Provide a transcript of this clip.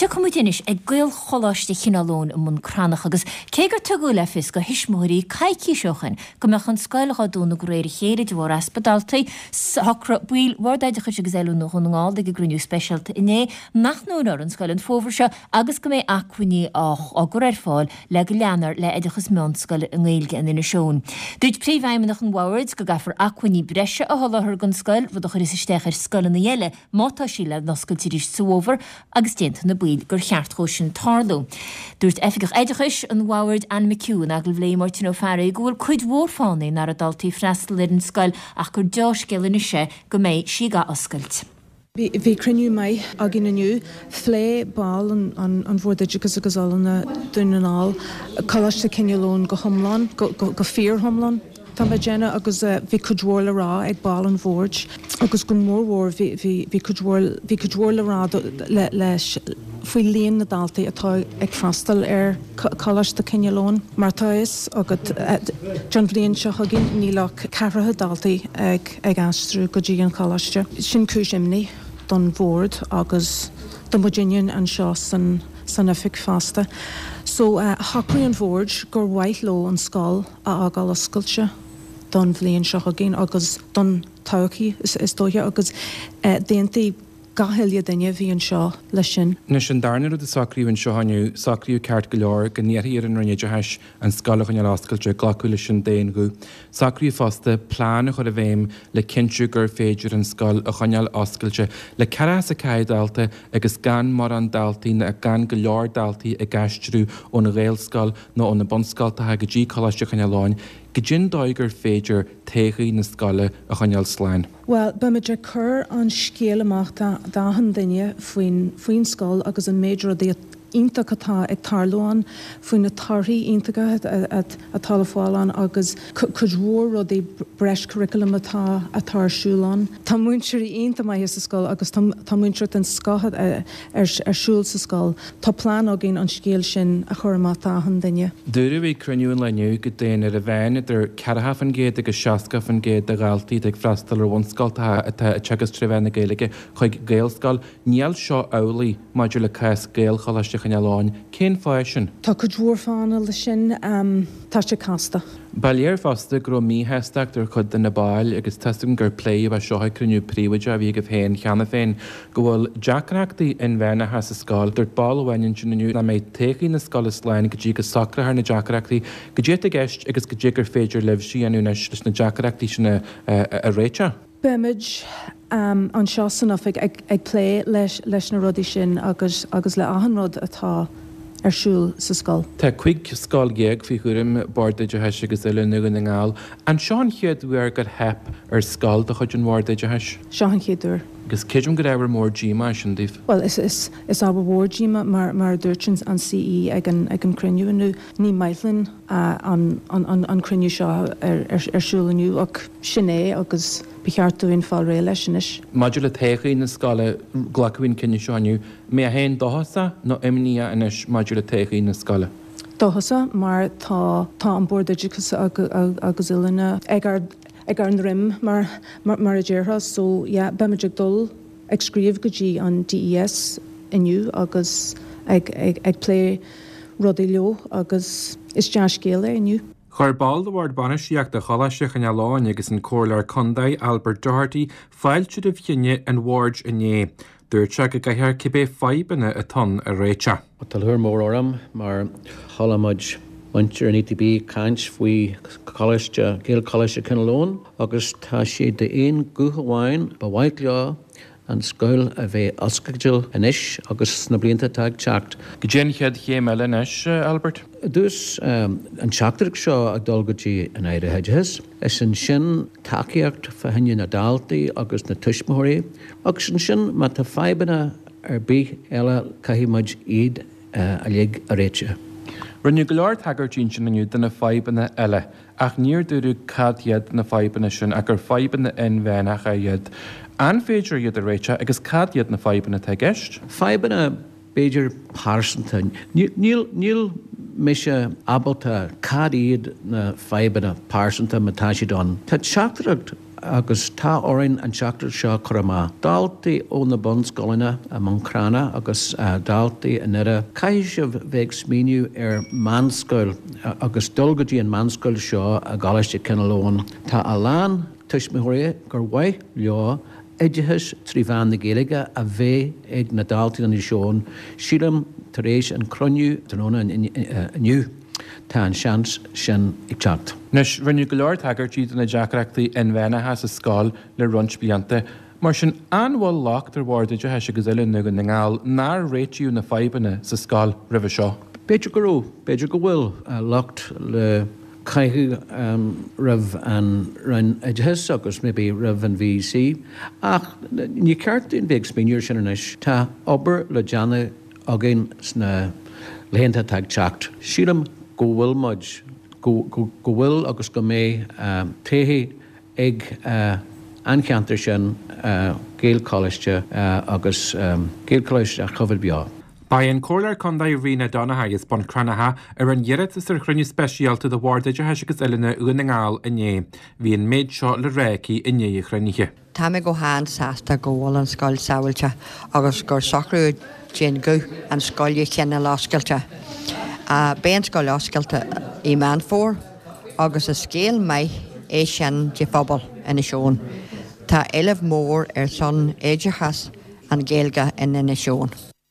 Tiocfaidh muid anois ag Gaelcholáiste Chineál Eoghain i mBun Cranncha agus cé gur tugadh le fios do thuismitheoirí coicís ó shoin go mbeadh an scoil dhá dúnadh de réir a chéile de bharr easpa daltaí, shocraigh baill Bhord Oideachais agus Oiliúna Dhún na nGall ag a gcruinniú speisialta inné nach ndúnfar an scoil an fómhar seo agus go mbeidh acmhainní á gcur ar fáil le go leanfar le hoideachas meánscoile i nGaeilge in Inis Eoghain. Dúirt Príomhfheidhmeannach an Bhoird go gcaithfear acmhainní breise a sholáthar don scoil, rud a chuirfeas isteach ar scoileanna eile má tá sí le n-oscailt arís sa bhfómhar agus d'aontaigh na baill gur cheart dhó sin tarlú. Dúirt Oifigeach Oideachais an Bhoird Anne McHugh in agallamh le Máirtín Ó Fearraigh go bhfuil cuid mhór fáthanna nach raibh daltaí ag freastal ar an scoil ach gur deá-scéal anois é go mbeidh sí ag ath-oscailt. Bhí cruinniú maith againn inniu. Phléigh baill an Bhoird Oideachais agus Oiliúna Dún na nGall Coláiste Chineál Eoghain go hiomlán, go fíor-hiomlán tá mé ag déanamh, agus bhí cuid mhór le rá ag baill an bhoird agus go mórmhór bhí cuid mhór bhí cuid mhór le rá leis faoi líon na ndaltaí atá ag freastal ar Choláiste Chineál Eoghain. Mar tá a fhios agat, don bhliain seo chugainn níl ach ceathracha daltaí ag. ag aistriú go dtí an choláiste. Sin cúis imní don bhord agus do muidinne anseo san san oifig fosta. So shocraigh an bhord gur mhaith leo an scoil a fhágáil oscailte don bhliain seo chugainn agus don todhchaí is dóiche agus d'aontaigh gach uile duine a bhí anseo leis sin. Anois, an darna rud a socraíodh anseo inniu, socraíodh ceart go leor go n-iarrfaí ar an Roinn Oideachais an scoil a choinneáil oscailte, glacadh leis sin d'aon ghuth. Socraíodh fosta plean a chur i bhfeidhm le cinntiú gur féidir an scoil a choinneáil oscailte le 44 dalta agus gan mórán daltaí ná gan go leor daltaí ag aistriú ón Ghaelscoil nó ó na bunscoltacha go dtí Coláiste Chineál Eoghain, goidé an dóigh gur féidir todhchaí na scoile a choinneáil slán. Bhuel, beimid ag cur an scéal amach d'achan duine faoin faoin scoil agus an méid rudaí iontach atá ag tarlú ann, faoi na torthaí iontacha atá le fáil ann agus cuid mhór rudaí breis curriculum atá atá ar siúl ann. Tá múinteoirí iontach maithe sa scoil agus tá tá múinteoireacht den scoth ar ar siúl sa scoil. Tá plean againn an scéal sin a chur amach d'achan duine. Dúradh ag cruinniú an lae inniu go dtéann ar an mheán idir 40% agus 60% de dhaltaí atá ag freastal ar bhunscoltacha atá ag teagasc tré mheán na Gaeilge chuig Gaelscoil. Níl seo amhlaidh maidir le cás Gaelcholáiste Chineál Eoghain. Cén fáth é sin? Tá cuid mhór fáthanna leis sin. Tá sé casta. Ba léir fosta go raibh míshástacht ar chuid de na baill, agus tá's agam gur pléadh é seo ag cruinniú príobháideach a bhí agaibh féin cheana féin, go bhfuil deacrachtaí inmheánacha sa scoil. Dúirt ball amháin ansin inniu nach mbeidh todhchaí na scoile slán go dtí go socrófar na deacrachtaí. Goidé atá i gceist agus goidé gur féidir libhse a dhéanamh anois leis na deacrachtaí sin a réiteach. Beimid anseo san oifig ag plé leis na rudaí sin agus agus le achan rud atá ar siúl sa scoil. Tá 15 scoil faoi chúram Bord Oideachais agus Oiliúna Dhún na nGall. An seo an chéad uair gur theip ar scoil de chuid an Bhoird Oideachais? Seo an chéad uair. Agus creidim gur ábhar mór díomá é sin daoibh. Bhuel, is ábhar mhór díomá, mar a dúirt an CE ag an cruinniú inniu, ní maith linn an cruinniú seo ar siúl inniu ach sin é agus ba cheart dúinn fáil réidh leis anois. Maidir le todhchaí na scoile, glacadh an cinneadh seo inniu. Mbeidh féin dóchasach nó imníoch anois maidir le todhchaí na scoile? Dóchasach mar tá tá an Bord Oideachais agus Oiliúna ag ár ag ár ndroim mar mar a déarfá so yeah beimid ag dul ag scríobh go dtí an DES inniu agus ag ag plé rudaí leo agus is dea-scéal é inniu. Chuir ball de Bhord Bainistíochta Choláiste Chineál Eoghain agus an Comhairleoir Contae Albert Doherty fáilte roimh chinneadh an Bhoird inné. Dúirt sé go gcaithfear cibé fadhbanna atá ann a réiteach. Tá lúcháir mhór orm mar chuala muid muintir an ETB ag caint faoi Choláiste, Gaelcholáiste Chineál Eoghain agus tá siad d'aon ghuth amháin, ba mhaith leo an scoil a bheith oscailte anois agus sna blianta atá ag teacht. Goidé an chéad chéim eile anois, Albert? I dtús, an teachtaireacht seo ag dul go dtí an Aire Oideachais, is ansin tacaíocht fá choinne na daltaí agus na tuismitheoirí agus ansin má tá fadhbanna ar bith eile caithfidh muid iad uilig a réiteach. Rinneadh go leor tagairtí ansin inniu do na fadhbanna eile ach níor dúradh cad iad na fadhbanna sin ach gur fadhbanna inmheánacha iad. An féidir iad a réiteach agus cad iad na fadhbanna atá i gceist? Fadhbanna b'fhéidir pearsanta. Níl, níl mise ábalta cad iad na fadhbanna pearsanta má tá siad ann. Tá teachtaireacht. Agus tá orainn an teachtaireacht seo a chur amach. Daltaí ó na bunscoileanna i mBun Cranncha agus daltaí i nDoire, caithfidh sibh bheith ag smaoineamh ar meánscoil agus dul go dtí an meánscoil seo i gColáiste Chineál Eoghain. Tá a lán tuismitheoirí gur mhaith leo oideachas trí mheán na Gaeilge a bheith ag na daltaí in Inis Eoghain. Sílim tar éis an cruinniú tráthnóna inniu, tá an seans sin ag teacht. Anois, rinneadh go leor tagairtí do na deacrachtaí inmheánacha sa scoil le roinnt blianta. Mar sin, an bhfuil locht ar Bhord Oideachais agus Oiliúna Dhún na nGall nár réitíodh na fadhbanna sa scoil roimhe seo? B'fhéidir go raibh, b'fhéidir go bhfuil locht le caitheamh roimh an Roinn Oideachais agus maybe roimh an VEC ach ní ceart dúinn bheith ag smaoineamh ar sin anois. Tá obair le déanamh againn sna laethanta atá ag teacht. Sílim go bhfuil muid, go bhfuil agus go mbeidh todhchaí ag an cheantar sin, Gaelcholáiste agus Gaelcholáiste a choimhéad beo. Ba í an Comhairleoir Contae Ríona Donaghy as Bun Cranncha a rinne iarratas ar chruinniú speisialta de Bhord Oideachais agus Oiliúna Dhún na nGall inné. Bhí an méid seo le rá aici i ndiaidh an chruinnithe. Tá mé go han-sásta go bhfuil an scoil sábháilte agus gur socraíodh d'aon ghuth an scoil a choinneáil oscailte. Beidh an scoil oscailte i Meán Fómhair agus is scéal maith é sin do phobal Inis Eoghain. Tá éileamh mór ar son oideachas an Ghaeilge in Inis Eoghain.